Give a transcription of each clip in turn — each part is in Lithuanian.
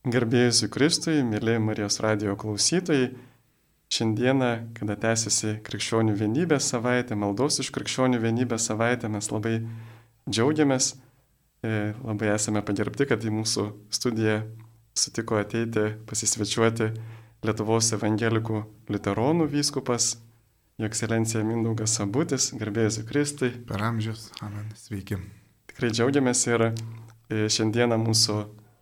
Garbėjus Kristui, mėly Marijos radijo klausytojai, šiandieną, kada tęsiasi Krikščionių vienybės savaitė, maldos iš Krikščionių vienybės savaitė, mes labai džiaugiamės, labai esame pagerbti, kad į mūsų studiją sutiko ateiti, pasisvečiuoti Lietuvos evangelikų liuteronų vyskupas, Jo ekscelencija Mindaugas Sabutis, garbėjus Kristui. Per amžius, amen, sveiki. Tikrai džiaugiamės ir šiandieną mūsų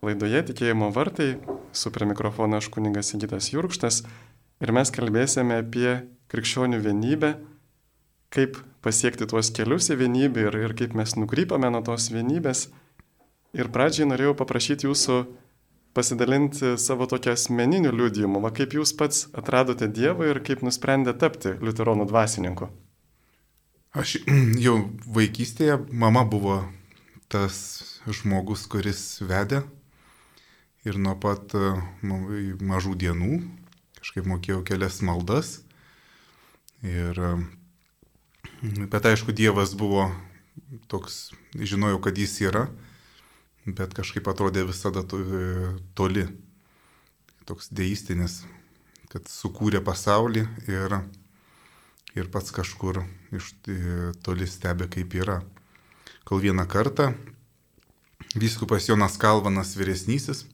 laidoje Tikėjimo vartai, su prie mikrofono aš kunigas Sigitas Jurkštas, ir mes kalbėsime apie krikščionių vienybę, kaip pasiekti tuos kelius į vienybę ir kaip mes nukrypame nuo tos vienybės. Ir pradžiai norėjau paprašyti jūsų pasidalinti savo tokią asmeninių liudijimų, kaip jūs pats atradote Dievą ir kaip nusprendėte tapti liuteronų dvasininku. Aš jau vaikystėje, mama buvo tas žmogus, kuris vedė. Ir nuo pat mažų dienų kažkaip mokėjau kelias maldas. Bet aišku, Dievas buvo toks, žinojau, kad jis yra, bet kažkaip atrodė visada toli. Toks deistinis, kad sukūrė pasaulį ir pats kažkur iš toli stebi, kaip yra. Kol vieną kartą vyskupas Jonas Kalvanas vyresnysis,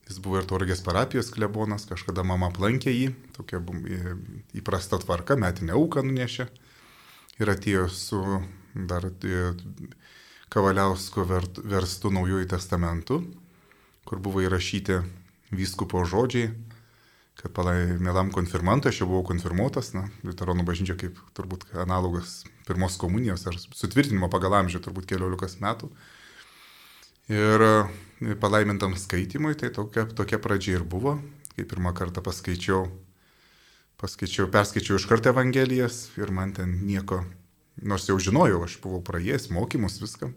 jis buvo ir Tauragės parapijos klebonas, kažkada mama aplankė jį, tokia įprasta tvarka, metinę auką nunešė ir atėjo su dar Kavaliausko verstu Naujųjų testamentu, kur buvo įrašyti vyskupo žodžiai, kad mielam konfirmantui, aš jau buvau konfirmuotas, liuteronų bažnyčia kaip turbūt analogas pirmos komunijos ar sutvirtinimo pagal amžių, turbūt 14 metų. Ir palaimintam skaitimui, tai tokia pradžia ir buvo, kai pirmą kartą perskaičiau iš karto Evangelijas ir man ten nieko, nors jau žinojau, aš buvau praėjęs mokymus viską,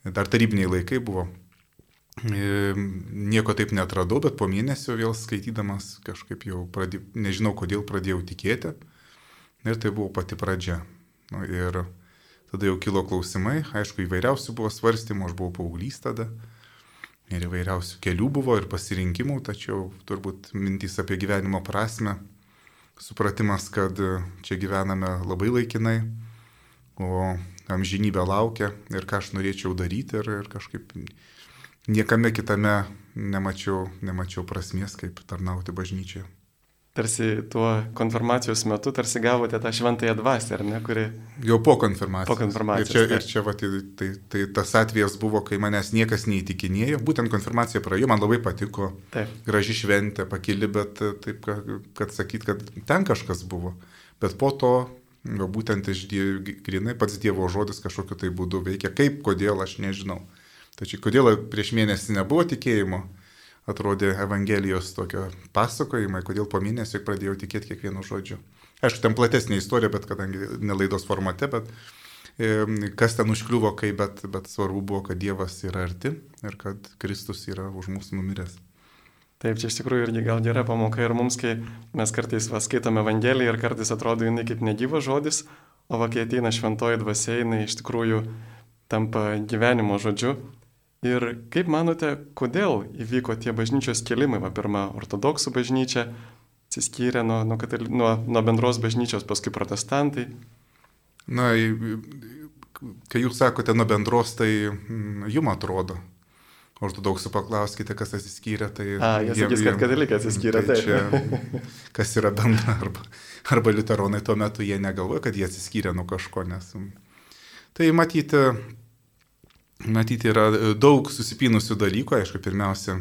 dar tarybiniai laikai buvo, nieko taip netradau, bet po mėnesio vėl skaitydamas kažkaip jau nežinau kodėl pradėjau tikėti ir tai buvo pati pradžia. Ir tada jau kilo klausimai, aišku, įvairiausių buvo svarstymų, aš buvau paauglys tada ir įvairiausių kelių buvo ir pasirinkimų, tačiau turbūt mintys apie gyvenimo prasmę, supratimas, kad čia gyvename labai laikinai, o amžinybė laukia ir ką aš norėčiau daryti ir kažkaip niekame kitame nemačiau prasmės, kaip tarnauti bažnyčioje. Tarsi tuo konfirmacijos metu tarsi gavote tą šventąją dvasią, ar ne, kuri... Jau po konfirmacijos. Po konfirmacijos. Ir čia tai tas atvejas buvo, kai manęs niekas neįtikinėjo, būtent konfirmacija praėjo, man labai patiko, taip. Graži šventė, pakili, bet taip, kad sakyt, kad ten kažkas buvo. Bet po to, būtent grinai pats Dievo žodis kažkokiu tai būdu veikia, kaip, kodėl, aš nežinau. Tačiau kodėl prieš mėnesį nebuvo tikėjimo, atrodė Evangelijos tokio pasakojimai, kodėl po mėnesio pradėjau tikėti kiekvienu žodžiu. Aišku, ten platesnė istorija, bet kadangi nelaidos formate, bet kas ten užkliuvo, bet svarbu buvo, kad Dievas yra arti ir kad Kristus yra už mūsų numiręs. Taip, čia iš tikrųjų irgi gal gera pamoka ir mums, kai mes kartais skaitome Evangeliją ir kartais atrodo jinai kaip negyvas žodis, o kai ateina šventoji dvasia, jinai iš tikrųjų tampa gyvenimo žodžiu. Ir kaip manote, kodėl įvyko tie bažnyčios kelimai? Pirma, ortodoksų bažnyčia atsiskyrė nuo bendros bažnyčios, paskui protestantai. Na, kai jūs sakote nuo bendros, tai jums atrodo. Ortodoksų paklauskite, kas atsiskyrė, tai... Jie sakys, kad katalikai atsiskyrė, tai čia, kas yra bendra, arba liuteronai tuo metu jie negalvoja, kad jie atsiskyrė nuo kažko, nes... Tai matyti yra daug susipynusių dalykų, aišku, pirmiausia,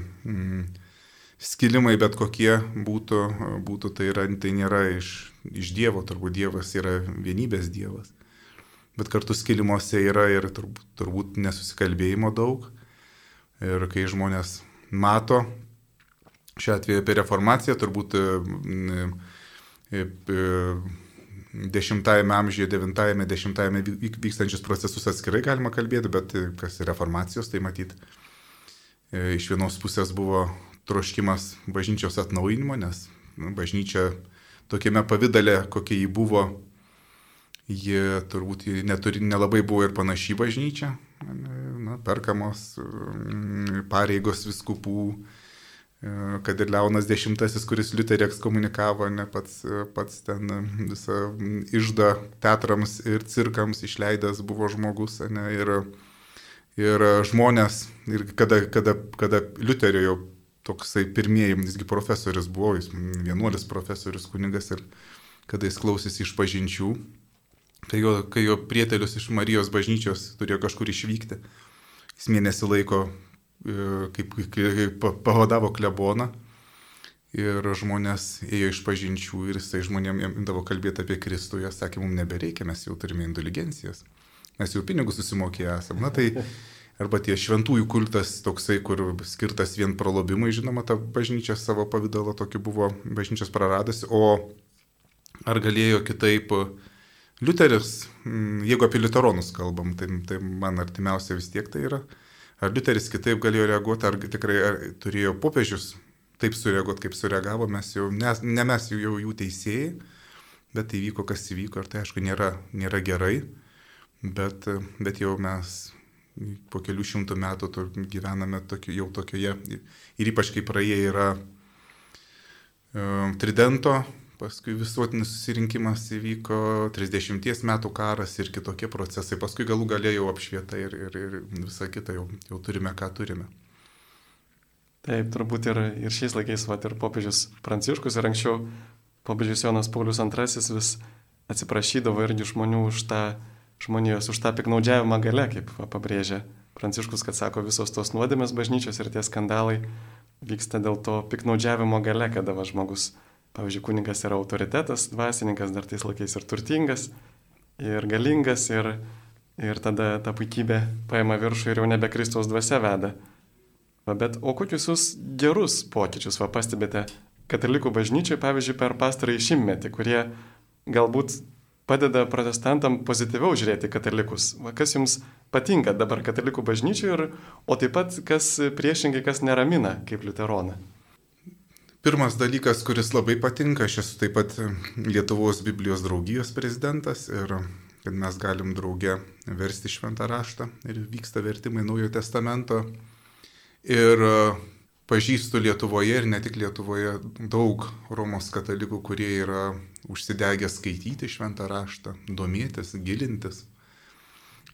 skilimai bet kokie būtų tai nėra iš Dievo, turbūt Dievas yra vienybės Dievas, bet kartu skilimuose yra ir turbūt nesusikalbėjimo daug. Ir kai žmonės mato, šiuo atveju apie reformaciją, turbūt 10-ame amžiuje, 9-ame, 10-ame vykstančius procesus atskirai galima kalbėti, bet kas yra reformacijos, tai matyt, iš vienos pusės buvo troškimas bažnyčios atnaujinimo, nes bažnyčia tokiame pavydale, kokia jį buvo, ji turbūt nelabai buvo ir panaši bažnyčia. Perkamos pareigos vyskupų, kad ir Leonas X, kuris Liuterį ekskomunikavo, ne pats ten visą iždą teatrams ir cirkams išleidęs buvo žmogus, ne, ir žmonės, ir kada Liuterio jau toksai pirmieji, visgi profesorius buvo, jis vienuolis profesorius kunigas, ir kada jis klausėsi išpažinčių, kai jo prietelius iš Marijos bažnyčios turėjo kažkur išvykti, jis mėnesį laiko kaip pavadavo kleboną ir žmonės ėjo iš pažinčių ir jisai žmonėms imdavo kalbėti apie Kristų, jie sakė, mums nebereikia, mes jau turime indulgencijas, mes jau pinigus susimokėję esame. Na tai arba tie šventųjų kultas toksai, kur skirtas vien pralobimui, žinoma, ta bažnyčia savo pavydalo tokį buvo bažnyčios praradusi, o ar galėjo kitaip Liuteris, jeigu apie liuteronus kalbam, tai man artimiausia vis tiek tai yra. Ar Liuteris kitaip galėjo reaguoti, ar tikrai turėjo popiežius taip sureaguoti, kaip sureagavo, mes jau, ne mes jau jų teisėjai, bet įvyko, kas įvyko, ir tai aišku nėra gerai, bet jau mes po kelių šimtų metų gyvename jau tokioje, ir ypač kai praėję yra Tridento, paskui visuotinis susirinkimas įvyko, 30 metų karas ir kitokie procesai, paskui galų galėjau apšvieta ir visą kitą jau turime, ką turime. Taip, turbūt ir šiais laikais, ir popiežius Pranciškus, ir anksčiau popiežius Jonas Paulius II vis atsiprašydavo irgi žmonių už tą piknaudžiavimą gale, kaip pabrėžia Pranciškus, kad sako, visos tos nuodėmės bažnyčios ir tie skandalai vyksta dėl to piknaudžiavimo gale, kada žmogus, pavyzdžiui, kunigas yra autoritetas, dvasininkas dar tais laikais ir turtingas, ir galingas, ir tada ta puikybė paima viršų ir jau nebe Kristaus dvasia veda. Bet o kokius jūs gerus pokyčius pastebite katalikų bažnyčiai, pavyzdžiui, per pastarąjį šimtmetį, kurie galbūt padeda protestantam pozityviau žiūrėti katalikus? Kas jums patinka dabar katalikų bažnyčiai, o taip pat kas priešingai, kas neramina kaip liuteroną? Pirmas dalykas, kuris labai patinka, aš esu taip pat Lietuvos Biblijos draugijos prezidentas ir kad mes galim drauge versti šventą raštą ir vyksta vertimai Naujojo testamento. Ir pažįstu Lietuvoje ir ne tik Lietuvoje daug Romos katalikų, kurie yra užsidegę skaityti šventą raštą, domėtis, gilintis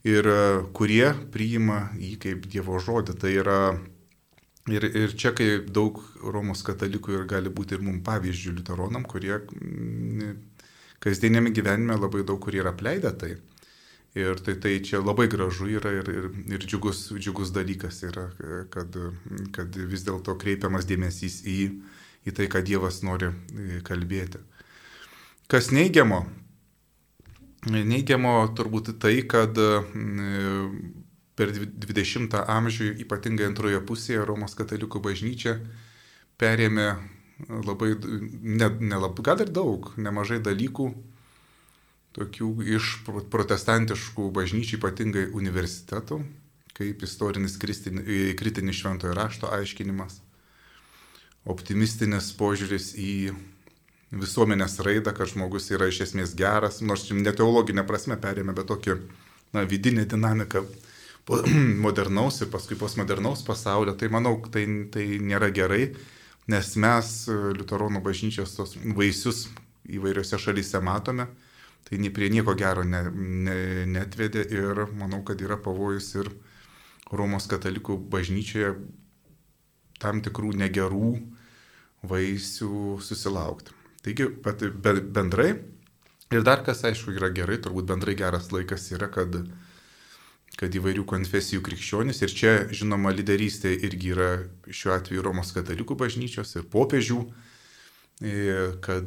ir kurie priima jį kaip Dievo žodį. Tai yra ir čia, kai daug Romos katalikų ir gali būti ir mums pavyzdžių liuteronam, kurie kasdienėme gyvenime labai daug kurie yra apleidę tai. Ir tai čia labai gražu yra ir džiugus dalykas yra, kad vis dėlto kreipiamas dėmesys į tai, ką Dievas nori kalbėti. Kas neigiamo? Neigiamo turbūt tai, kad per 20 amžių, ypatingai antroje pusėje, Romos katalikų bažnyčia perėmė gal ir daug, nemažai dalykų, tokių iš protestantiškų bažnyčių, ypatingai universitetų, kaip istorinis kritinis šventojo rašto aiškinimas, optimistinis požiūris į visuomenės raidą, kad žmogus yra iš esmės geras, nors ne teologinė prasme perėmė, bet tokį vidinę dinamiką modernaus ir paskui postmodernaus pasaulio. Tai manau, tai nėra gerai, nes mes liuteronų bažnyčios tos vaisius įvairiose šalyse matome. Tai prie nieko gero netvedė ir manau, kad yra pavojus ir Romos katalikų bažnyčioje tam tikrų negerų vaisių susilaukti. Taigi, bendrai, ir dar kas aišku yra gerai, turbūt bendrai geras laikas yra, kad įvairių konfesijų krikščionys, ir čia žinoma lyderystė irgi yra šiuo atveju Romos katalikų bažnyčios ir popiežių, kad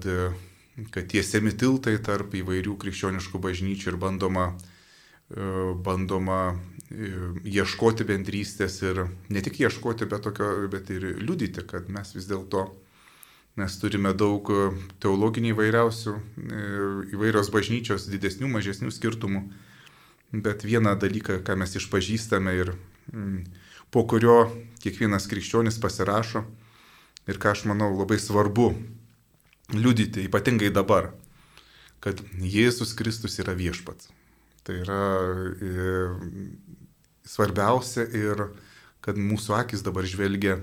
tiesiami tiltai tarp įvairių krikščioniškų bažnyčių ir bandoma ieškoti bendrystės ir ne tik ieškoti, bet ir liudyti, kad mes vis dėlto turime daug teologinių įvairios bažnyčios, didesnių, mažesnių skirtumų, bet vieną dalyką, ką mes išpažįstame ir po kurio kiekvienas krikščionis pasirašo ir ką aš manau labai svarbu liudyti, ypatingai dabar, kad Jėzus Kristus yra viešpats. Tai yra svarbiausia ir kad mūsų akis dabar žvelgia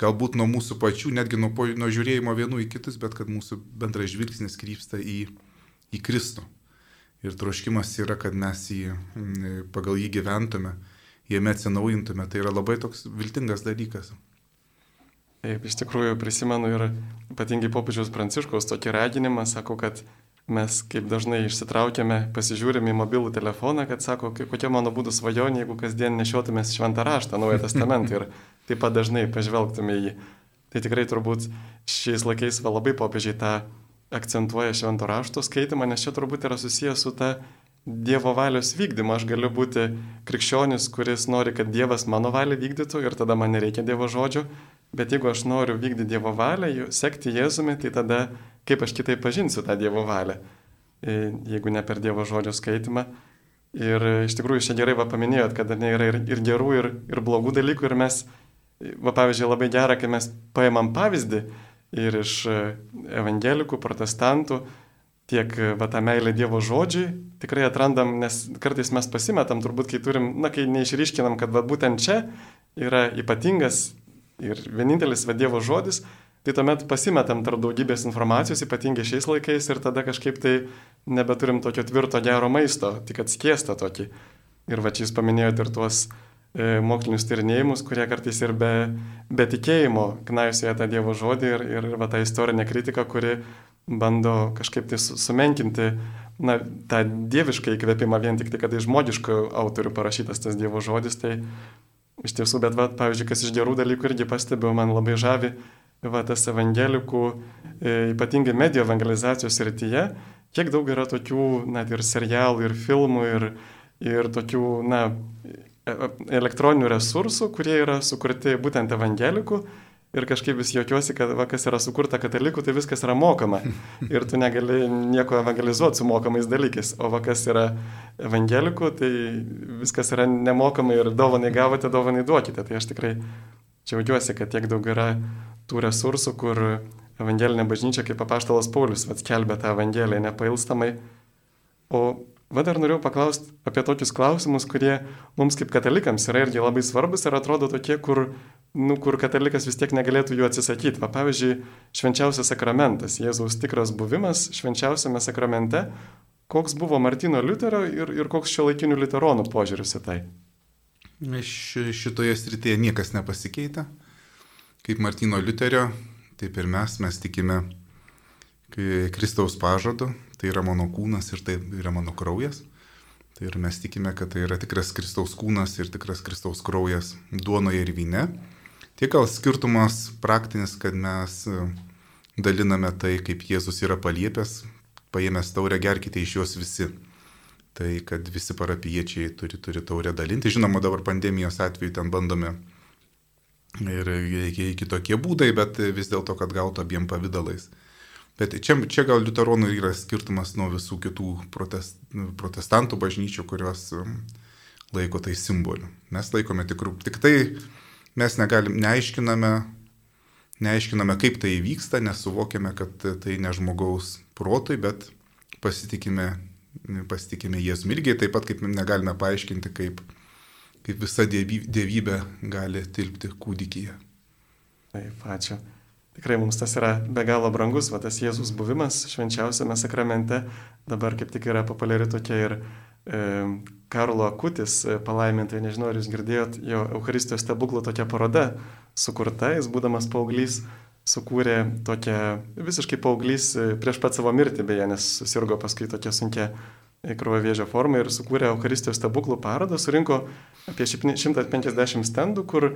galbūt nuo mūsų pačių, netgi nuo žiūrėjimo vienų į kitus, bet kad mūsų bendras žvilgsnis krypsta į Kristų. Ir troškimas yra, kad mes pagal jį gyventume, jame atsinaujintume. Tai yra labai toks viltingas dalykas. Taip, iš tikrųjų prisimenu ir ypatingai popiežiaus Pranciškaus tokį raginimą, sako, kad mes kaip dažnai išsitraukiame, pasižiūrime į mobilų telefoną, kad sako, kokia mano būtų svajonė, jeigu kasdien nešiotumės Šventą raštą, Naują testamentą ir taip pat dažnai pažvelgtume į jį. Tai tikrai turbūt šiais laikais labai popiežiai tą akcentuoja Švento rašto skaitimą, nes čia turbūt yra susijęs su ta Dievo valios vykdymu. Aš galiu būti krikščionis, kuris nori, kad Dievas mano valią vykdytų ir tada man nereikia Dievo žodžio, bet jeigu aš noriu vykdyti Dievo valią, sekti Jėzumi, tai tada kaip aš kitaip pažinsiu tą Dievo valią, jeigu ne per Dievo žodžio skaitimą. Ir iš tikrųjų čia gerai paminėjot, kad yra ir gerų, ir blogų dalykų. Ir mes, pavyzdžiui, labai gera, kai mes paimam pavyzdį ir iš evangelikų, protestantų, tiek tą meilę Dievo žodžiui tikrai atrandam, nes kartais mes pasimetam, turbūt kai turim, kai neišryškinam, kad būtent čia yra ypatingas ir vienintelis Dievo žodis, tai tuomet pasimetam tarp daugybės informacijos, ypatingai šiais laikais, ir tada kažkaip tai nebeturim tokio tvirto gero maisto, tik atskiestą tokį. Ir čia jūs paminėjote ir tuos mokslinius tyrinėjimus, kurie kartais ir be tikėjimo knaisioja tą Dievo žodį ir tą istorinę kritiką, kuri bando kažkaip tai sumenkinti tą dievišką įkvėpimą vien tik tai, kad iš žmogiškų autorių parašytas tas Dievo žodis. Tai iš tiesų, bet pavyzdžiui, kas iš gerų dalykų irgi pastebiu, man labai žavi tas evangelikų, ypatingai medijų evangelizacijos srityje, kiek daug yra tokių ir serialų, ir filmų, ir tokių elektroninių resursų, kurie yra sukurti būtent evangelikų. Ir kažkaip vis juokiuosi, kad kas yra sukurta katalikų, tai viskas yra mokama. Ir tu negali nieko evangelizuoti su mokamais dalykais. O kas yra evangelikų, tai viskas yra nemokamai ir dovanai gavote, dovanai duokite. Tai aš tikrai džiaugiuosi, kad tiek daug yra tų resursų, kur evangelinė bažnyčia, kaip apaštalas Paulius, skelbia tą evangeliją nepailstamai. O dar norėjau paklausti apie tokius klausimus, kurie mums kaip katalikams yra irgi labai svarbus ir atrodo tokie, kur katalikas vis tiek negalėtų jų atsisakyti. Pavyzdžiui, švenčiausias sakramentas, Jėzaus tikras buvimas švenčiausiame sakramente. Koks buvo Martyno Liuterio ir koks šiuolaikinių liuteronų požiūris į tai? Šitoje srityje niekas nepasikeitė. Kaip Martyno Liuterio, taip ir mes tikime Kristaus pažadu, tai yra mano kūnas ir tai yra mano kraujas. Tai ir mes tikime, kad tai yra tikras Kristaus kūnas ir tikras Kristaus kraujas duonoje ir vyne. Tik gal skirtumas praktinis, kad mes daliname tai, kaip Jėzus yra paliepęs, paėmęs taurę, gerkite iš jos visi. Tai kad visi parapijiečiai turi taurę dalinti. Žinoma, dabar pandemijos atveju ten bandome ir kitokie būdai, bet vis dėlto, kad gautų abiem pavidalais. Bet čia gal liuteronų yra skirtumas nuo visų kitų protestantų bažnyčių, kurios laiko tai simboliu. Mes laikome tik tai, mes neaiškiname, kaip tai vyksta, nesuvokiame, kad tai ne žmogaus protui, bet pasitikime Jėzumi. Irgi taip pat, kaip negalime paaiškinti, kaip visa dievybė gali tilpti kūdikyje. Taip, ačiū. Tikrai mums tas yra be galo brangus, tas Jėzus buvimas švenčiausiame sakramente. Dabar kaip tik yra populiari tokia ir Karlo Akutis palaimintai, nežinau, ar jūs girdėjot, jo Eucharistijos stebuklų tokia paroda sukurta. Jis būdamas paauglys sukūrė tokią, visiškai paauglys prieš pat savo mirtį, beje, nes susirgo paskui tokia sunkia kraujo vėžio forma ir sukūrė Eucharistijos stebuklų parodą, surinko apie 150 stendų, kur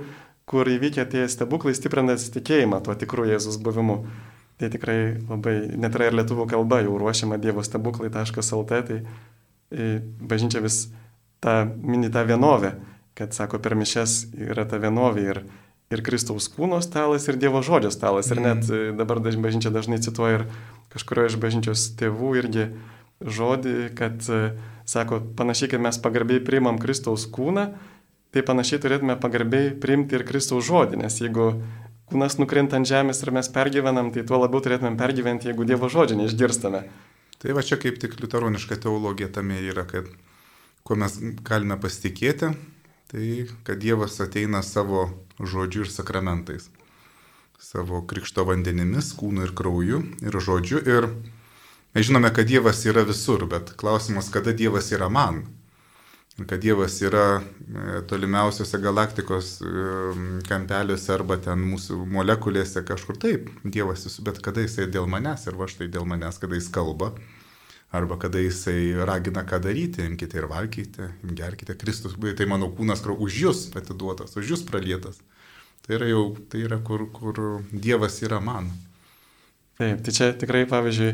įvykę tie stebuklai stiprina tikėjimą tuo tikru Jėzus buvimu. Tai tikrai labai, net yra ir lietuvų kalba jau ruošiama dievostebuklai.lt, tai bažnyčia vis mini tą vienovę, kad sako, per mišias yra ta vienovė ir Kristaus kūno stalas, ir Dievo žodžio stalas. Ir net dabar bažnyčia dažnai cituoja ir kažkurio iš bažnyčios tėvų irgi žodį, kad sako, panašiai, kaip mes pagarbiai priimam Kristaus kūną, tai panašiai turėtume pagarbiai priimti ir Kristaus žodį, nes jeigu kūnas nukrinta ant žemės ir mes pergyvenam, tai tuo labiau turėtumėm pergyventi, jeigu Dievo žodžio neišgirstame. Tai va čia kaip tik liuteroniška teologija tame yra, kad kuo mes galime pasitikėti, tai kad Dievas ateina savo žodžiu ir sakramentais. savo krikšto vandenimis, kūnu ir krauju ir žodžiu. Ir mes žinome, kad Dievas yra visur, bet klausimas, kada Dievas yra man. Kad Dievas yra tolimiausiose galaktikos kampeliuose arba ten mūsų molekulėse kažkur taip. Dievas visur, bet kada Jisai dėl manęs ir va štai dėl manęs, kada Jis kalba. Arba kada Jisai ragina ką daryti, imkite ir valgykite, gerkite. Kristus, tai mano kūnas už jūs atiduotas, už jūs pralietas. Tai yra kur Dievas yra man. Taip, tai čia tikrai, pavyzdžiui,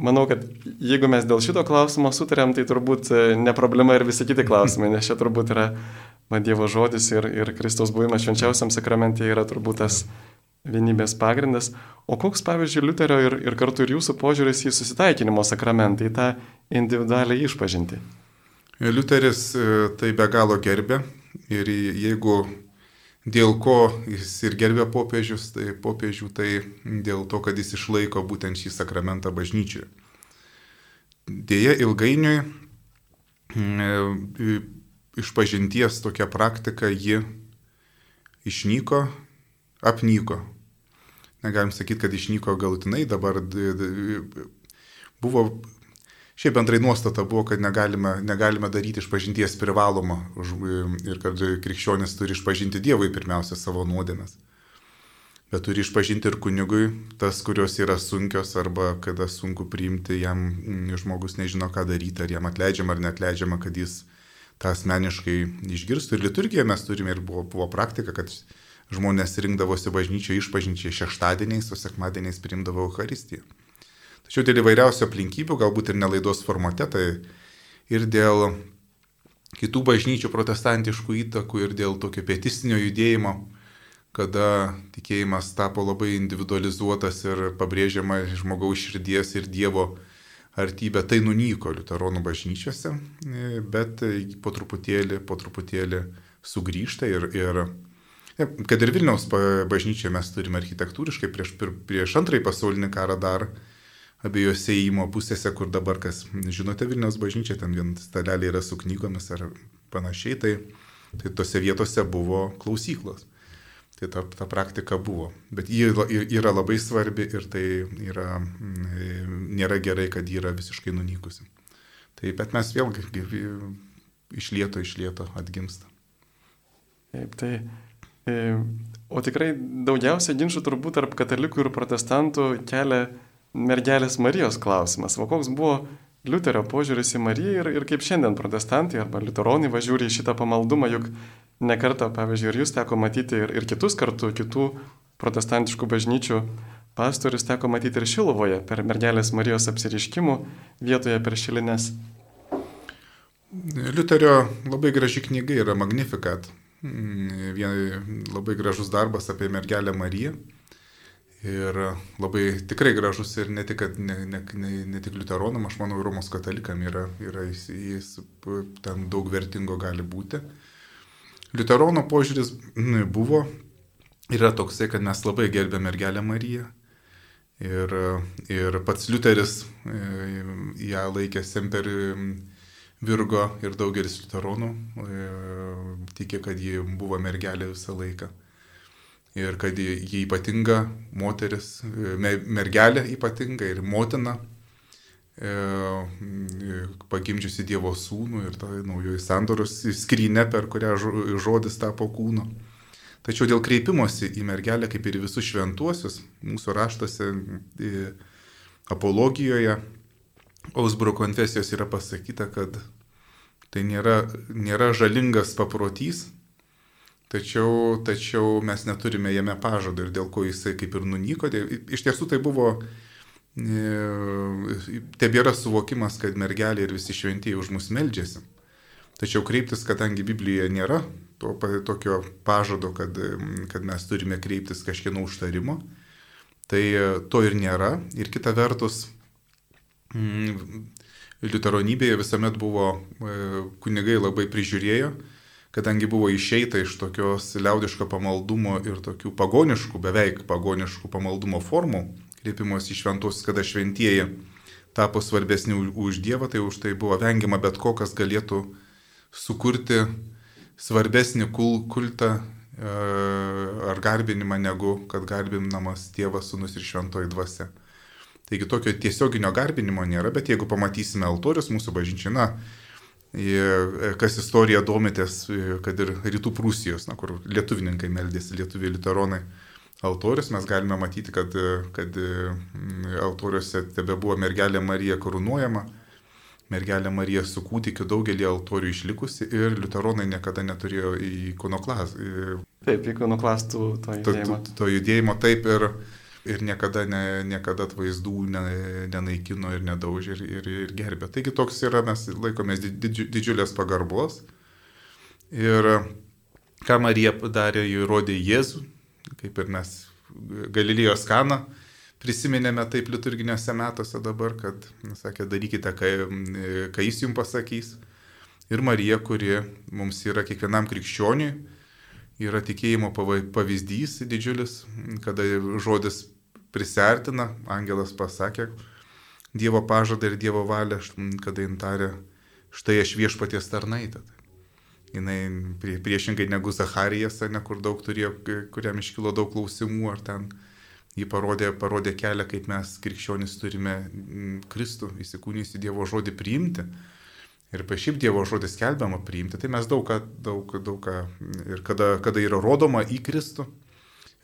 manau, kad jeigu mes dėl šito klausimo sutarėm, tai turbūt ne problema ir visi kiti klausimai, nes čia turbūt yra Dievo žodis ir Kristaus buvimas švenčiausiam sakramente yra turbūt tas vienybės pagrindas. O koks, pavyzdžiui, Liuterio ir kartu ir jūsų požiūris į susitaikinimo sakramentą, į tą individualią išpažintį? Liuteris tai be galo gerbė ir jeigu dėl ko jis ir gerbė popiežių, tai dėl to, kad jis išlaiko būtent šį sakramentą bažnyčioje. Deja, ilgainiui išpažinties tokia praktika ji išnyko, apnyko. Negalim sakyti, kad išnyko galutinai, dabar buvo, šiaip bendrai nuostata buvo, kad negalime daryti išpažinties privalomą ir kad krikščionis turi išpažinti Dievui pirmiausia savo nuodėmes. Bet turi išpažinti ir kunigui tas, kurios yra sunkios arba kada sunku priimti, jam žmogus nežino, ką daryti, ar jam atleidžiama ar neatleidžiama, kad jis tą asmeniškai išgirstų. Ir liturgijoje mes turime ir buvo praktika, kad žmonės rinkdavosi bažnyčioje išpažinčiai šeštadieniais, o sekmadieniais priimdavo Eucharistiją. Tačiau dėl įvairiausių aplinkybių, galbūt ir nelaidos formate, tai ir dėl kitų bažnyčių protestantiškų įtakų, ir dėl tokio pietistinio judėjimo, kada tikėjimas tapo labai individualizuotas ir pabrėžiama žmogaus širdies ir Dievo artybė, tai nunyko liuteronų bažnyčiose, bet po truputėlį sugrįžta ir kad ir Vilniaus bažnyčioje mes turime architektūriškai prieš antrąjį pasaulinį karą dar abiejose įėjimo pusėse, kur dabar, kas žinote, Vilniaus bažnyčia, ten vien staleliai yra su knygomis ar panašiai, tai tose vietose buvo klausyklos. Tai ta praktika buvo. Bet ji yra labai svarbi ir tai nėra gerai, kad ji yra visiškai nunykusi. Bet mes vėlgi iš lėto atgimsta. Taip, tai. O tikrai daugiausia ginčų turbūt tarp katalikų ir protestantų kelia mergelės Marijos klausimas. O koks buvo Liuterio požiūris į Mariją ir kaip šiandien protestantai arba liuteronai žiūri į šitą pamaldumą, juk nekartą, pavyzdžiui, ir jūs teko matyti ir kitus kartu, kitų protestantiškų bažnyčių pastorius teko matyti ir Šiluvoje per mergelės Marijos apsireiškimų vietoje per šilines. Liuterio labai graži knyga yra Magnificat. Labai gražus darbas apie mergelę Mariją. Ir labai tikrai gražus ir ne tik liuteronam, aš manau, Romos katalikam jis ten daug vertingo gali būti. Liuterono požiūris yra toksai, kad mes labai gerbėme mergelę Mariją. Ir pats Liuteris ją laikė semper Virgo ir daugelis liuteronų tikė, kad ji buvo mergelė visą laiką. Ir kad ji ypatinga moteris, mergelė ypatinga ir motina, pagimdžiusi Dievo sūnų ir ta naujoji sandoros skrynia, per kurią žodis tapo kūnu. Tačiau dėl kreipimosi į mergelę, kaip ir visus šventuosius, mūsų raštuose apologijoje, Augsburgo konfesijos yra pasakyta, kad tai nėra žalingas paprotys, tačiau mes neturime jame pažado ir dėl ko jisai kaip ir nunyko. Iš tiesų tai buvo, tebėra suvokimas, kad mergelė ir visi šventieji už mus meldžiasi. Tačiau kreiptis, kadangi Biblijoje nėra tokio pažado, kad mes turime kreiptis kažkieno užtarimo, tai to ir nėra. Ir kita vertus, liuteronybėje visuomet buvo kunigai labai prižiūrėjo, kadangi buvo išeita iš tokios liaudiško pamaldumo ir tokių beveik pagoniškų pamaldumo formų, kreipimosi į šventuosius, kada šventieji tapo svarbesni už Dievą, tai už tai buvo vengiama bet ko, kas galėtų sukurti svarbesnį kultą ar garbinimą, negu kad garbinamas Tėvas, Sūnus ir Šventoji Dvasia. Taigi tokio tiesioginio garbinimo nėra, bet jeigu pamatysime altorius mūsų bažnyčiai, kas istorija domitės, kad ir Rytų Prūsijos, kur lietuvininkai meldėsi, lietuviai liuteronai altorius, mes galime matyti, kad altoriuose tebe buvo mergelė Marija karūnuojama, mergelė Marija su kūdikiu, daugelį altorių išlikusi ir liuteronai niekada neturėjo ikonoklastų. Taip, ikonoklastų to judėjimo, taip ir niekada atvaizdų nenaikino ir nedaužė ir gerbė. Taigi toks yra, mes laikomės didžiulės pagarbos. Ir ką Marija padarė, jį rodė Jėzų, kaip ir mes Galilėjos Kaną prisiminėme taip liturginiuose metuose dabar, kad, sakė, darykite, ką jis jums pasakys. Ir Marija, kuri mums yra kiekvienam krikščioniui, yra tikėjimo pavyzdys didžiulis, kada žodis prisiartina, angelas pasakė Dievo pažadą ir Dievo valią, kada jin tarė, štai aš viešpaties tarnaitė. Jinai priešingai negu Zacharijas, kur daug turėjo, kuriam iškilo daug klausimų, ar ten jį parodė kelią, kaip mes krikščionys turime Kristų įsikūnijusį Dievo žodį priimti. Ir šiaip Dievo žodis skelbiama priimti, tai mes daug ką, ir kada yra rodoma į Kristų,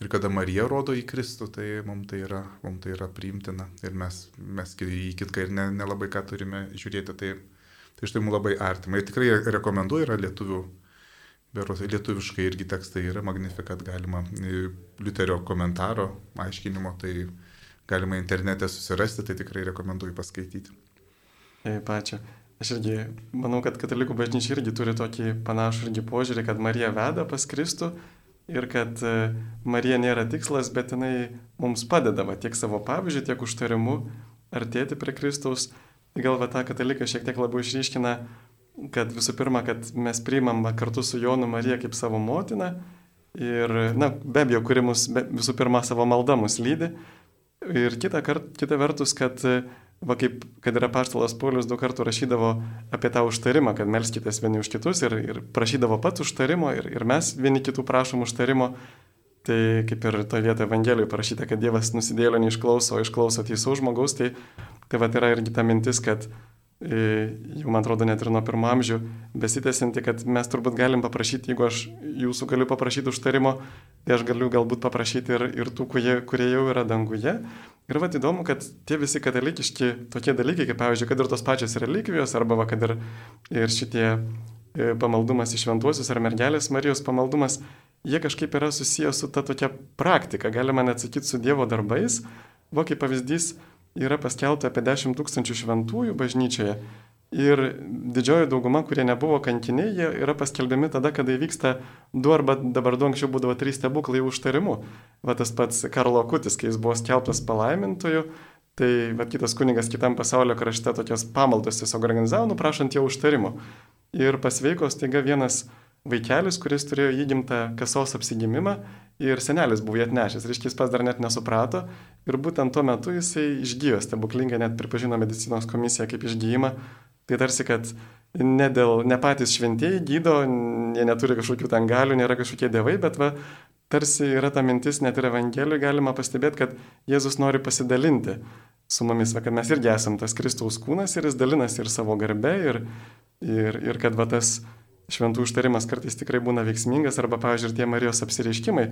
ir kada Marija rodo į Kristų, tai mums tai yra priimtina. Ir mes į kitką ir nelabai ką turime žiūrėti, tai štai mums labai artima. Ir tikrai rekomenduoju, yra lietuviškai irgi tekstai yra Magnificat, galima Liuterio komentaro aiškinimo, tai galima internete susirasti, tai tikrai rekomenduoju paskaityti. Taip, ačiū. Aš irgi manau, kad katalikų bažnyčia irgi turi tokį panašų irgi požiūrį, kad Marija veda pas Kristų ir kad Marija nėra tikslas, bet jinai mums padeda tiek savo pavyzdžiu, tiek užtarimu artėti prie Kristaus. Gal tą kataliką šiek tiek labiau išryškina, kad visų pirma, kad mes priimam kartu su Jonu Mariją kaip savo motiną ir, be abejo, kuri mus visų pirma savo malda mus lydi. Ir kita vertus, kad yra apaštalas Paulius 2 kartų rašydavo apie tą užtarimą, kad melskitės vieni už kitus ir prašydavo pats užtarimo ir mes vieni kitų prašom užtarimo. Tai kaip ir toje vietoje Evangelijoje parašyta, kad Dievas nusidėjėlio neišklauso, o išklauso teisaus žmogaus, tai yra irgi ta mintis, kad jau man atrodo net ir nuo pirmo amžių besitęsinti, kad mes turbūt galim paprašyti, jeigu aš jūsų galiu paprašyti užtarimo, tai aš galiu galbūt paprašyti ir tų, kurie jau yra danguje. Ir įdomu, kad tie visi katalikiški tokie dalykai, kaip pavyzdžiui, kad ir tos pačios relikvijos, arba kad ir šitie pamaldumas į šventuosius ar mergelės Marijos pamaldumas, jie kažkaip yra susijęs su ta tokia praktika, galima net sakyti su Dievo darbais. Kaip pavyzdys, yra paskelbta apie 10 000 šventųjų bažnyčioje ir didžioji dauguma, kurie nebuvo kankiniai, jie yra paskelbiami tada, kada įvyksta 2 arba dabar anksčiau būdavo 3 stebuklai užtarimu. Tas pats Karlo Akutis, kai jis buvo skelbtas palaimintoju, tai kitas kunigas kitam pasaulio krašte tokios pamaldos tiesiog organizavo, prašant jo užtarimo. Ir pasveiko staiga vienas vaikelis, kuris turėjo įgimtą kasos apsigimimą ir senelis buvo jį atnešęs. Reiškia, jis pas dar net nesuprato ir būtent tuo metu jisai išgyjo stebuklingai, net pripažino medicinos komisija kaip išgyjimą. Tai tarsi, kad ne patys šventieji gydo, jie neturi kažkokių ten galių, nėra kažkokie dievai, bet tarsi yra ta mintis, net ir Evangelijoje galima pastebėti, kad Jėzus nori pasidalinti su mumis, kad mes irgi esam tas Kristaus kūnas ir jis dalinasi ir savo garbe ir kad tas šventų užtarimas kartais tikrai būna veiksmingas, arba, pavyzdžiui, ir tie Marijos apsireiškimai.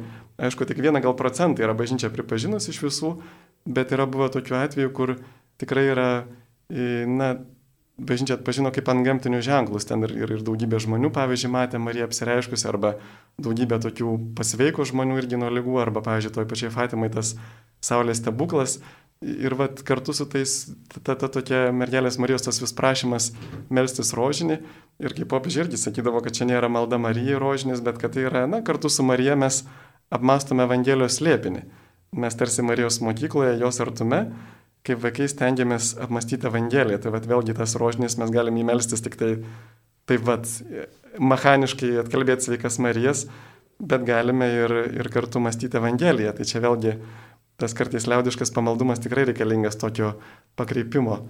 Aišku, tik 1% yra bažnyčia pripažinus iš visų, bet yra buvę tokių atvejų, kur tikrai yra, bažnyčia atpažino kaip antgamtinius ženklus. Ten ir daugybė žmonių, pavyzdžiui, matė Mariją apsireiškusi, arba daugybė tokių pasveiko žmonių irgi nuo ligų, arba, pavyzdžiui, toj pačiai Fatimai tas saulės stebuklas. Ir kartu su tais, ta tokia mergelės Marijos tas vis prašymas melstis rožinį. Ir kaip popiežius irgi sakydavo, kad čia nėra malda Marijai rožinis, bet kad tai yra, kartu su Marija mes apmastome Evangelijos slėpinį. Mes tarsi Marijos mokykloje, jos artume, kaip vaikai stengiamės apmastyti Evangeliją. Tai vėlgi tas rožinis mes galime įmelstis tik taip mechaniškai atkalbėti sveikas Marijas, bet galime ir kartu mąstyti Evangeliją. Tai čia vėlgi tas kartais liaudiškas pamaldumas tikrai reikalingas tokio pakreipimo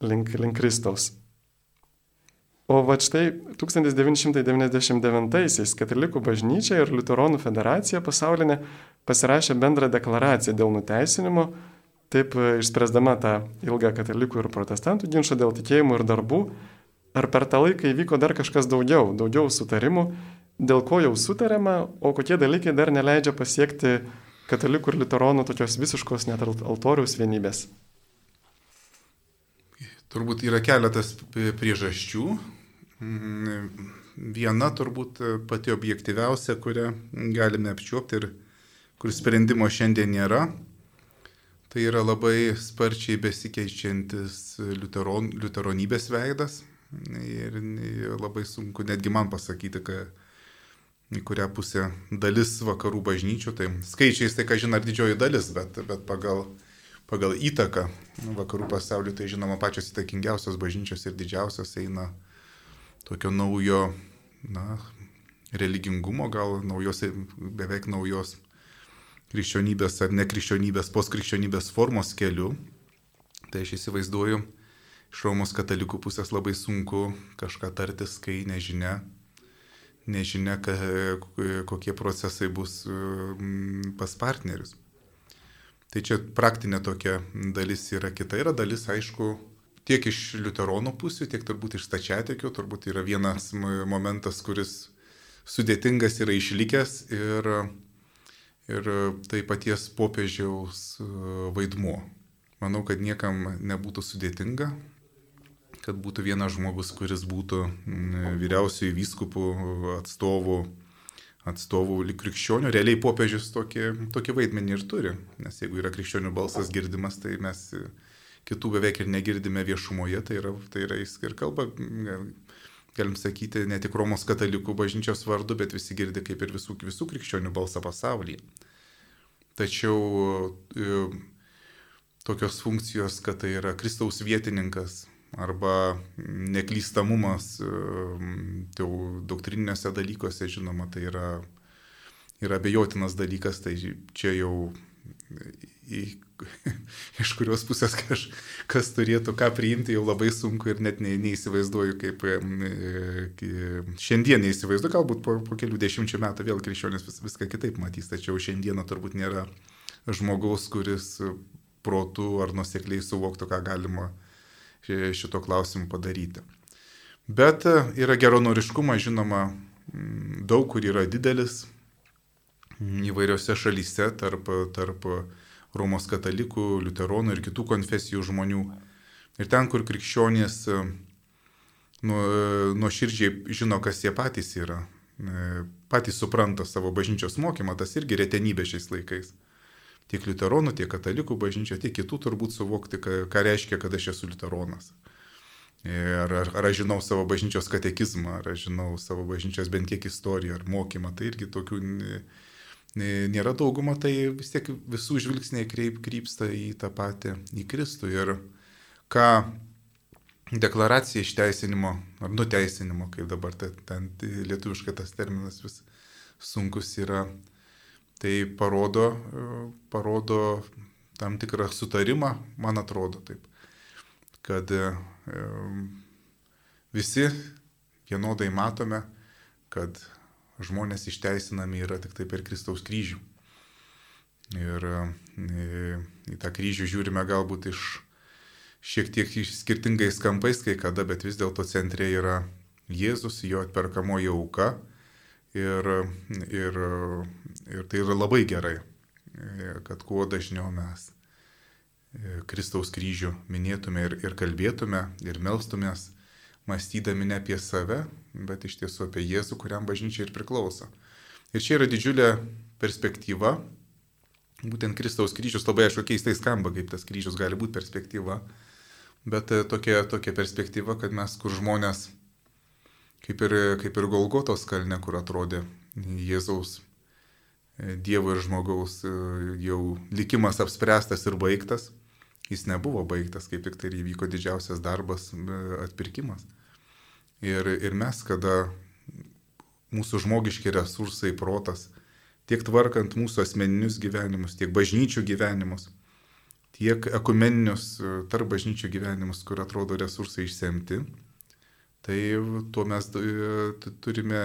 link Kristaus. O va štai 1999-aisiais Katalikų bažnyčia ir Liuteronų federacija pasaulinė pasirašė bendrą deklaraciją dėl nuteisinimo, taip išspręsdama tą ilgą katalikų ir protestantų ginčą dėl tikėjimų ir darbų. Ar per tą laiką įvyko dar kažkas daugiau sutarimų, dėl ko jau sutarėma, o kokie dalykai dar neleidžia pasiekti katalikų ir liuteronų tokios visiškos net altoriaus vienybės? Turbūt yra keletas priežasčių. Viena turbūt pati objektyviausia, kurią galime apčiuopti ir kur sprendimo šiandien nėra, tai yra labai sparčiai besikeičiantis liuteronybės veidas. Ir labai sunku netgi man pasakyti, į kurią pusę dalis vakarų bažnyčių, tai skaičiais tai, ką žino, didžioji dalis, bet pagal įtaką vakarų pasauliu, tai žinoma, pačios įtakingiausios bažnyčios ir didžiausios eina tokio naujo, religingumo, gal beveik naujos krikščionybės ar nekrikščionybės, postkrikščionybės formos keliu. Tai aš įsivaizduoju, iš Romos katalikų pusės labai sunku kažką tartis, kai nežinia, kokie procesai bus pas partnerius. Tai čia praktinė tokia dalis yra, kita yra dalis, aišku, tiek iš liuteronų pusių, tiek turbūt iš stačiatikių, turbūt yra vienas momentas, kuris sudėtingas yra išlikęs ir tai paties popiežiaus vaidmuo. Manau, kad niekam nebūtų sudėtinga, kad būtų vienas žmogus, kuris būtų vyriausiųjų vyskupų atstovų krikščionių. Realiai popiežius tokį vaidmenį ir turi, nes jeigu yra krikščionių balsas girdimas, tai mes kitų beveik ir negirdime viešumoje, tai yra jis ir kalba, galim sakyti, ne tik Romos katalikų bažnyčios vardu, bet visi girdi kaip ir visų krikščionių balsą pasaulyje. Tačiau tokios funkcijos, kad tai yra Kristaus vietininkas arba neklystamumas doktrininiuose dalykuose, žinoma, tai yra abejotinas dalykas, tai čia jau iš kurios pusės kas turėtų ką priimti, jau labai sunku ir net neįsivaizduoju, kaip šiandien neįsivaizduoju, galbūt po kelių dešimčių metų vėl krikščionis viską kitaip matys, tačiau šiandieną turbūt nėra žmogaus, kuris protu ar nuosekliai suvoktų, ką galima šito klausimu padaryti. Bet yra geranoriškumas, žinoma, daug kur yra didelis įvairiose šalyse tarp Romos katalikų, liuteronų ir kitų konfesijų žmonių. Ir ten, kur krikščionys nuoširdžiai žino, kas jie patys yra, patys supranta savo bažnyčios mokymą, tas irgi retenybė šiais laikais. Tiek liuteronų, tiek katalikų bažnyčia, tiek kitų turbūt suvokti, ką reiškia, kad aš esu liuteronas. Ar aš žinau savo bažnyčios katekizmą, ar aš žinau savo bažnyčios bent kiek istoriją ar mokymą, tai irgi tokių nėra dauguma, tai vis tiek visų žvilgsniai krypsta į tą patį, į Kristų. Ir ką deklaracija išteisinimo ar nuteisinimo, kaip dabar ten lietuviškai tas terminas vis sunkus yra, tai parodo tam tikrą sutarimą, man atrodo taip, kad visi vienodai matome, kad žmonės išteisinami yra tik tai per Kristaus kryžių. Ir į tą kryžių žiūrime galbūt šiek tiek skirtingais kampais kai kada, bet vis dėlto centre yra Jėzus, jo atperkamoji auka. Ir tai yra labai gerai, kad kuo dažniau mes Kristaus kryžių minėtume ir kalbėtume ir melstumės, mąstydami ne apie save, bet iš tiesų apie Jėzų, kuriam bažnyčia ir priklauso. Ir čia yra didžiulė perspektyva, būtent Kristaus kryžius, labai aišku keistai skamba, kaip tas kryžius gali būti perspektyva, bet tokia perspektyva, kad mes, kur žmonės, kaip ir Golgotos kalne, kur atrodė Jėzaus, Dievo ir žmogaus jau likimas apspręstas ir baigtas, jis nebuvo baigtas, kaip tik tai įvyko didžiausias darbas, atpirkimas. Ir mes, kada mūsų žmogiški resursai, protas, tiek tvarkant mūsų asmeninius gyvenimus, tiek bažnyčių gyvenimus, tiek ekumeninius tarp bažnyčių gyvenimus, kur atrodo resursai išsemti, Tai tuo mes turime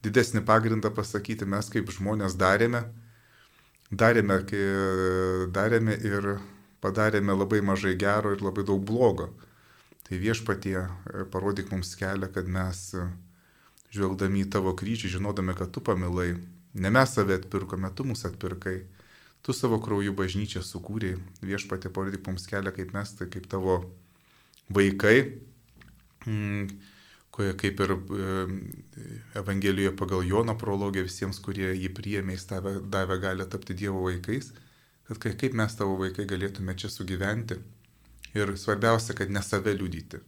didesnį pagrindą pasakyti, mes kaip žmonės darėme ir padarėme labai mažai gero ir labai daug blogo. Tai Viešpatie, parodyk mums kelią, kad mes, žvelgdami į tavo kryžių, žinodami, kad tu pamilai, ne mes save atpirkome, tu mus atpirkai, tu savo krauju bažnyčią sukūrei. Viešpatie, parodyk mums kelią, kaip mes, tai kaip tavo vaikai, kaip ir Evangelijoje pagal Jono prologę visiems, kurie jį priėmė, jis davė galią tapti Dievo vaikais, kad kaip mes tavo vaikai galėtume čia sugyventi. Ir svarbiausia, kad ne save liudyti,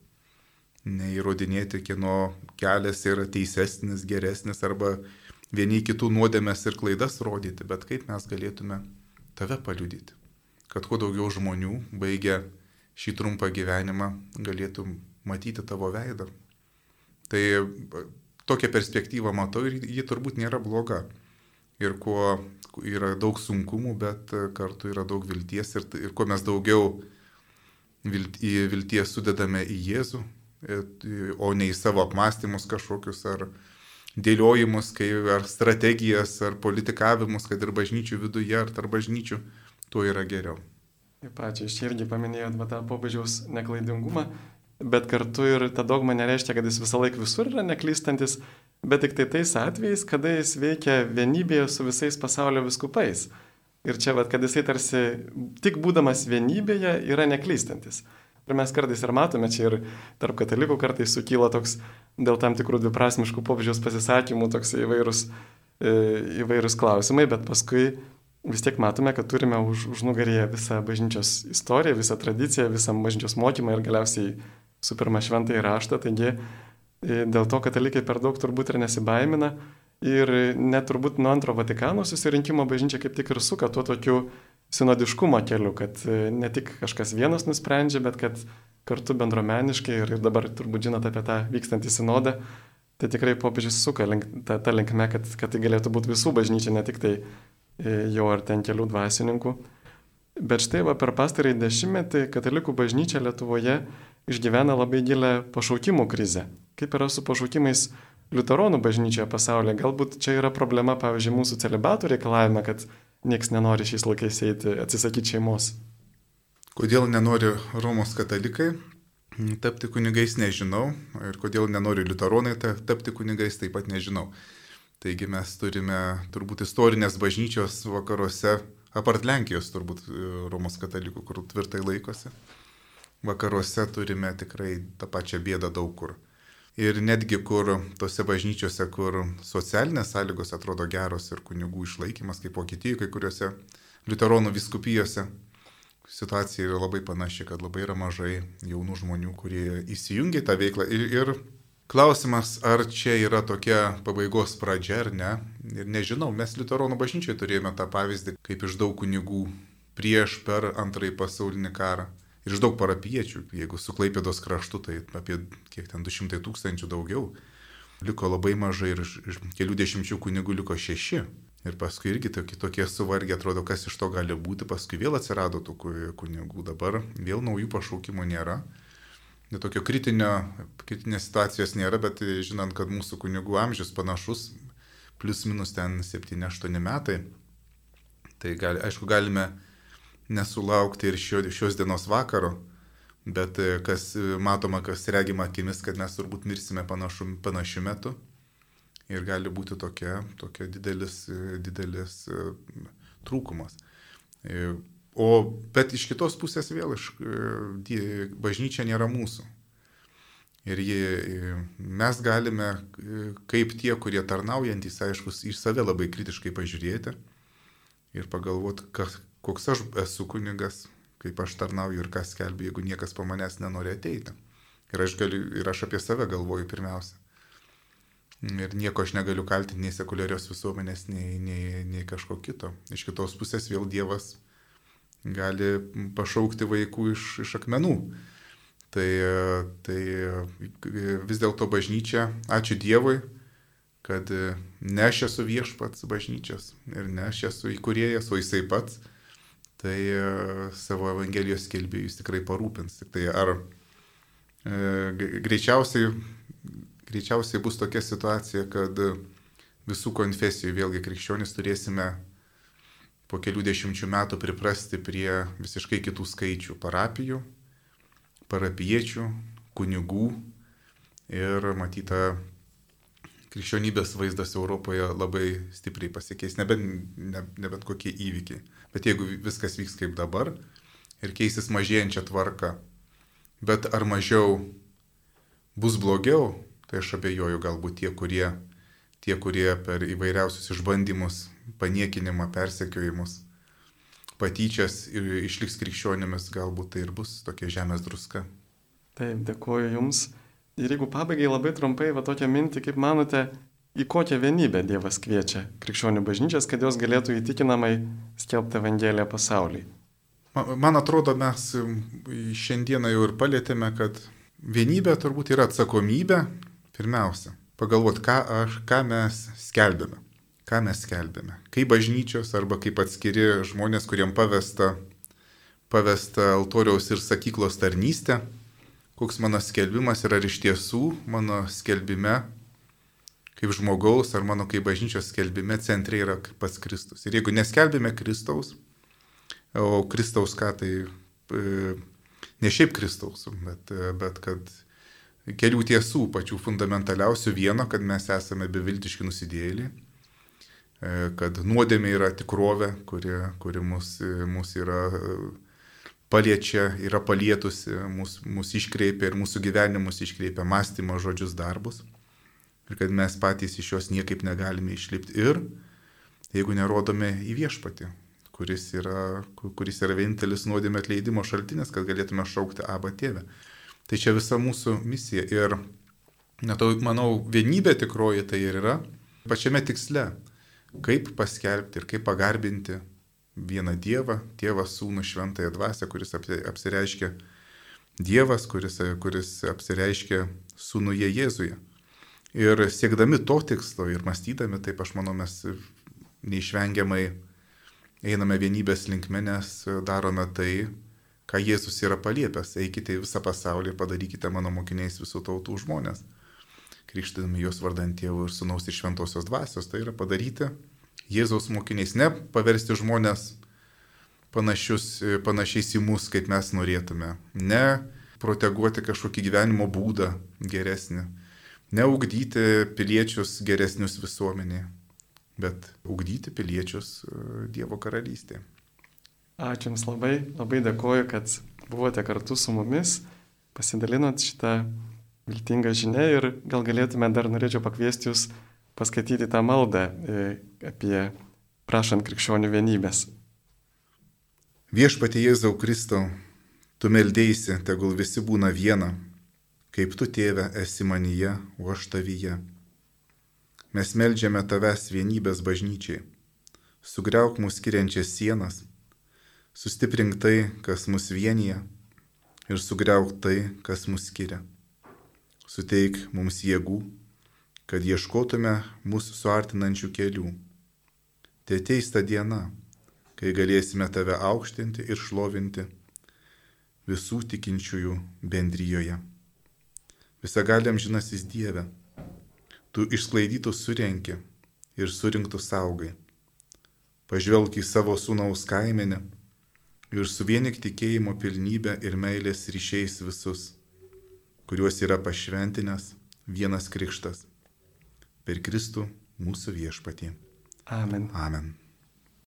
neįrodinėti, kieno kelias yra teisesnis, geresnis, arba vieni kitų nuodėmes ir klaidas rodyti, bet kaip mes galėtume tave paliudyti, kad kuo daugiau žmonių, baigę šį trumpą gyvenimą, galėtų matyti tavo veidą. Tai tokią perspektyvą matau ir ji turbūt nėra bloga. Ir kuo yra daug sunkumų, bet kartu yra daug vilties ir kuo mes daugiau vilties sudedame į Jėzų, o ne į savo apmąstymus kažkokius ar dėliojimus, ar strategijas, ar politikavimus, kad ir bažnyčių viduje, ar tarp bažnyčių, tuo yra geriau. Taip ačiū, iš irgi paminėjot tą popiežiaus neklaidingumą, bet kartu ir ta dogma nereiškia, kad jis visą laiką visur yra neklystantis, bet tik tai tais atvejais, kada jis veikia vienybėje su visais pasaulio vyskupais. Ir čia, kad jisai tarsi tik būdamas vienybėje yra neklystantis. Ir mes kartais ir matome, čia ir tarp katalikų kartais sukyla toks dėl tam tikrų dviprasmiškų popiežiaus pasisakymų toks įvairūs klausimai, bet paskui vis tiek matome, kad turime užnugaryje visą bažnyčios istoriją, visą tradiciją, visą bažnyčios mokymą ir galiausiai su pirma šventąjį raštą. Taigi dėl to katalikai per daug turbūt ir nesibaimina. Ir net turbūt nuo antro Vatikano susirinkimo bažnyčia kaip tik ir suka tuo tokiu sinodiškumo keliu, kad ne tik kažkas vienas nusprendžia, bet kad kartu bendruomeniškai ir dabar turbūt žinot apie tą vykstantį sinodą, tai tikrai popiežius suka tą linkme, kad tai galėtų būti visų bažnyčia, ne tik tai jau ar ten kelių dvasininkų. Bet štai per pastarąjį dešimtmetį katalikų bažnyčia Lietuvoje išgyvena labai gilę pašaukimų krizę. Kaip yra su pašaukimais liuteronų bažnyčioje pasaulyje? Galbūt čia yra problema, pavyzdžiui, mūsų celibatų reikalavime, kad nieks nenori šiais laikais eiti, atsisakyti šeimos. Kodėl nenori Romos katalikai tapti kunigais, nežinau. Ir kodėl nenori liuteronai tapti kunigais, taip pat nežinau. Taigi mes turime turbūt istorinės bažnyčios vakaruose, apart Lenkijos turbūt Romos katalikų, kur tvirtai laikosi. Vakaruose turime tikrai tą pačią bėdą daug kur. Ir netgi kur tose bažnyčiose, kur socialinės sąlygos atrodo geros ir kunigų išlaikymas, kaip Vokietijoje, kai kuriuose liuteronų vyskupijose, situacija yra labai panaši, kad labai yra mažai jaunų žmonių, kurie įsijungia tą veiklą. Ir klausimas, ar čia yra tokia pabaigos pradžia ar ne. Ir nežinau, mes liuteronų bažnyčioje turėjome tą pavyzdį, kaip iš daug kunigų prieš per antrąjį pasaulinį karą. Ir iš daug parapiečių, jeigu su Klaipėdos kraštu, tai apie 200 000 daugiau. Liko labai mažai ir iš kelių dešimčių kunigų liko 6. Ir paskui irgi tokie suvargę, atrodo, kas iš to gali būti. Paskui vėl atsirado tų kunigų, dabar vėl naujų pašaukimų nėra. Tokio kritinės situacijos nėra, bet žinant, kad mūsų kunigų amžius panašus, plus minus ten 7-8 metai, tai aišku, galime nesulaukti ir šios dienos vakaro, bet kas matoma, kas regima akimis, kad mes turbūt mirsime panašiu metu ir gali būti tokia didelis trūkumas. Bet iš kitos pusės vėl bažnyčia nėra mūsų. Ir mes galime, kaip tie, kurie tarnaujantys, aišku, į save labai kritiškai pažiūrėti ir pagalvoti, koks aš esu kunigas, kaip aš tarnauju ir kas skelbiu, jeigu niekas po manęs nenori ateiti. Ir aš apie save galvoju pirmiausia. Ir nieko aš negaliu kaltinti nei sekuliarios visuomenės, nei kažko kito. Iš kitos pusės vėl Dievas gali pašaukti vaikų iš akmenų. Tai vis dėlto bažnyčia, ačiū Dievui, kad ne aš esu viešpats bažnyčios ir ne aš esu įkūrėjas, o jisai pats. Tai savo Evangelijos skelbėjus tikrai parūpins. Tik tai ar Greičiausiai bus tokia situacija, kad visų konfesijų vėlgi krikščionys turėsime po kelių dešimčių metų priprasti prie visiškai kitų skaičių - parapijų, parapiečių, kunigų ir matyta krikščionybės vaizdas Europoje labai stipriai pasikeis, nebent kokie įvykiai. Bet jeigu viskas vyks kaip dabar ir keisis mažėjančią tvarką, bet ar mažiau bus blogiau, tai aš abejoju, galbūt tie, kurie per įvairiausius išbandymus, paniekinimą, persekiojimus, patyčias išliks krikščionimis, galbūt tai ir bus tokia žemės druska. Taip, dėkuoju Jums. Ir jeigu pabaigai labai trumpai tokią mintį, kaip manote, į kokią vienybę Dievas kviečia krikščionių bažnyčias, kad jos galėtų įtikinamai skelbti Evangeliją pasauliui? Man atrodo, mes šiandieną jau ir palėtėme, kad vienybė turbūt yra atsakomybė pirmiausia. Pagalvoti, ką mes skelbėme. Ką mes skelbėme. Kaip bažnyčios arba kaip atskiri žmonės, kuriem pavesta altoriaus ir sakyklos tarnystė, koks mano skelbimas yra iš tiesų mano skelbime kaip žmogaus ar mano kaip bažnyčios skelbime centre yra pats Kristus. Ir jeigu neskelbėme Kristaus, o Kristaus ką tai, ne šiaip Kristaus, bet kad kelių tiesų, pačių fundamentaliausių vieno, kad mes esame beviltiški nusidėjėliai, kad nuodėmė yra tikrovė, kuri mus yra paliečia, yra palietusi, mūsų iškreipia ir mūsų gyvenimus iškreipia mąstymą, žodžius, darbus. Ir kad mes patys iš jos niekaip negalime išlipti. Ir jeigu nerodome į viešpatį, kuris yra vienintelis nuodėmė atleidimo šaltinis, kad galėtume šaukti Abba Tėve. Tai čia visa mūsų misija. Ir manau, vienybė tikroji tai ir yra pačiame tiksle, kaip paskelbti ir kaip pagarbinti vieną Dievą, Tėvą, Sūnų, Šventąją Dvasią, kuris apsireiškia Dievas, kuris apsireiškia Sūnuje Jėzuje. Ir siekdami to tikslo ir mąstydami, taip aš manau, mes neišvengiamai einame vienybės linkme, nes darome tai, ką Jėzus yra paliepęs. Eikite į visą pasaulį ir padarykite mano mokiniais visų tautų žmonės. Krikštydami juos vardant Tėvo ir Sūnaus ir Šventosios Dvasios, tai yra padaryti Jėzaus mokiniais, ne paversti žmonės panašiais į mus, kaip mes norėtume, ne proteguoti kažkokį gyvenimo būdą geresnį, ne ugdyti piliečius geresnius visuomenėje, bet ugdyti piliečius Dievo karalystėje. Ačiū Jums labai, labai dėkoju, kad buvote kartu su mumis, pasidalinot šitą viltingą žinią ir gal galėtume dar norėčiau pakviesti Jūs paskaityti tą maldą apie prašant krikščionių vienybės. Viešpatie Jėzau Kristau, Tu meldėsi, tegul visi būna viena, kaip Tu, Tėve, esi manyje, o aš tavyje. Mes meldžiame Tavęs vienybės bažnyčiai. Sugriauk mus skiriančias sienas, sustiprink tai, kas mus vienyje, ir sugriauk tai, kas mus skiria. Suteik mums jėgų, kad ieškotume mūsų suartinančių kelių. Te ateis ta diena, kai galėsime Tave aukštinti ir šlovinti visų tikinčiųjų bendrijoje. Visagaliam žinasis Dieve, Tu išsklaidytus surenki ir surinktus saugai. Pažvelk į savo sūnaus kaimenę ir suvienik tikėjimo pilnybę ir meilės ryšiais visus, kuriuos yra pašventinęs vienas krikštas. Per Kristų mūsų viešpatį. Amen. Amen.